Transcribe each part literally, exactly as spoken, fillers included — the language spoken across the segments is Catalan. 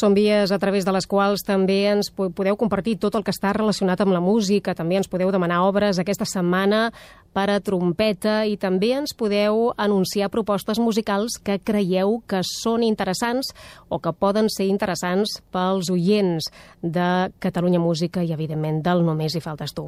Són vies a través de les quals també ens podeu compartir tot el que està relacionat amb la música, també ens podeu demanar obres aquesta setmana per a trompeta i també ens podeu anunciar propostes musicals que creieu que són interessants o que poden ser interessants pels oients de Catalunya Música i, evidentment, del Només hi faltes tu.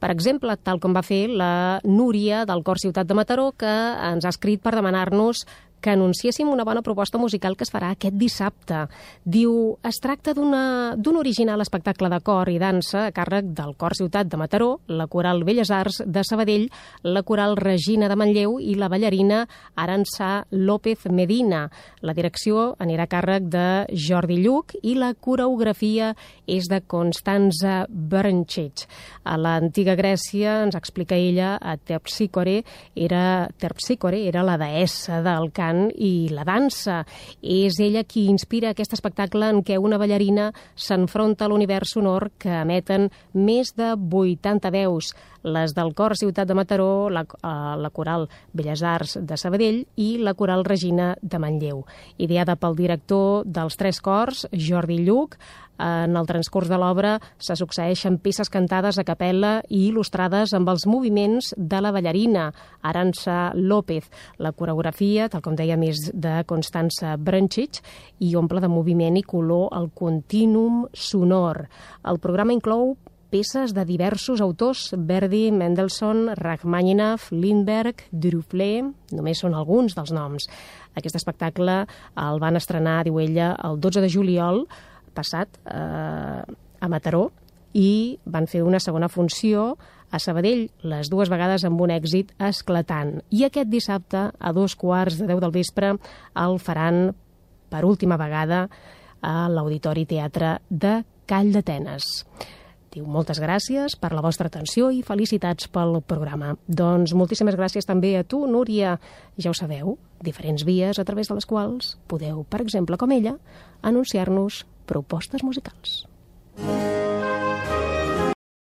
Per exemple, tal com va fer la Núria del Cor Ciutat de Mataró, que ens ha escrit per demanar-nos que anunciéssim una bona proposta musical que es farà aquest dissabte. Diu, es tracta d'un original espectacle de cor i dansa a càrrec del Cor Ciutat de Mataró, la Coral Belles Arts de Sabadell, la Coral Regina de Manlleu i la ballarina Arança López Medina. La direcció anirà a càrrec de Jordi Lluc i la coreografia és de Constanza Brncic. A l'antiga Grècia, ens explica ella, a Terpsícore era, Terpsícore era la deessa del cant i la dansa. És ella qui inspira aquest espectacle en què una ballarina s'enfronta a l'univers sonor que emeten més de vuitanta veus, les del Cor Ciutat de Mataró, la, la Coral Belles Arts de Sabadell i la Coral Regina de Manlleu. Ideada pel director dels tres cors, Jordi Lluc, en el transcurs de l'obra se succeeixen peces cantades a capella i il·lustrades amb els moviments de la ballarina Arança López. La coreografia, tal com deia, més de Constanza Brncic i omple de moviment i color el contínuum sonor. El programa inclou peces de diversos autors, Verdi, Mendelssohn, Rachmaninoff, Lindbergh, Düruflé, només són alguns dels noms. Aquest espectacle el van estrenar, diu ella, el dotze de juliol passat eh, a Mataró i van fer una segona funció a Sabadell, les dues vegades amb un èxit esclatant. I aquest dissabte, a dos quarts de deu del vespre, el faran per última vegada a l'Auditori Teatre de Call d'Atenes. Diu, moltes gràcies per la vostra atenció i felicitats pel programa. Doncs moltíssimes gràcies també a tu, Núria. Ja ho sabeu, diferents vies a través de les quals podeu, per exemple, com ella, anunciar-nos propostes musicals.